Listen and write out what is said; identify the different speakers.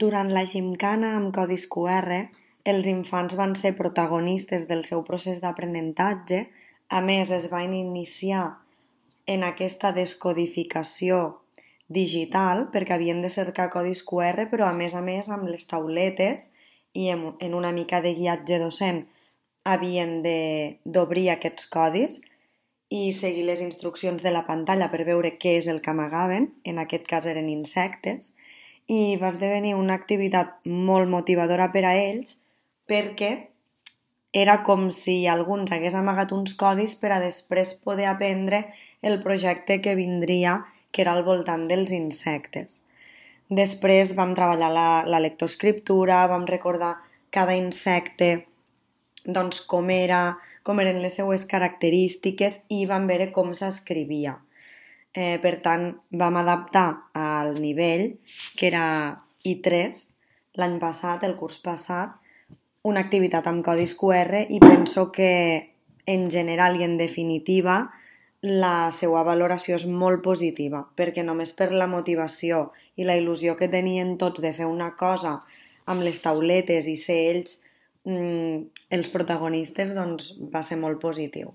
Speaker 1: Durant la gimcana amb codis QR, els infants van ser protagonistes del seu procés d'aprenentatge. A més, es van iniciar en aquesta descodificació digital perquè havien de cercar codis QR, però a més amb les tauletes i en una mica de guiatge docent havien d'obrir aquests codis i seguir les instruccions de la pantalla per veure què és el que amagaven, en aquest cas eren insectes, i va esdevenir una activitat molt motivadora per a ells perquè era com si algú ens hagués amagat uns codis per a després poder aprendre el projecte que vindria, que era al voltant dels insectes. Després vam treballar la lectoescriptura, vam recordar cada insecte, doncs com eren les seues característiques i vam veure com s'escrivia. Per tant, vam adaptar al nivell, que era I3, l'any passat, el curs passat, una activitat amb codis QR i penso que en general i en definitiva la seva valoració és molt positiva, perquè només per la motivació i la il·lusió que tenien tots de fer una cosa amb les tauletes i ser ells els protagonistes, doncs va ser molt positiu.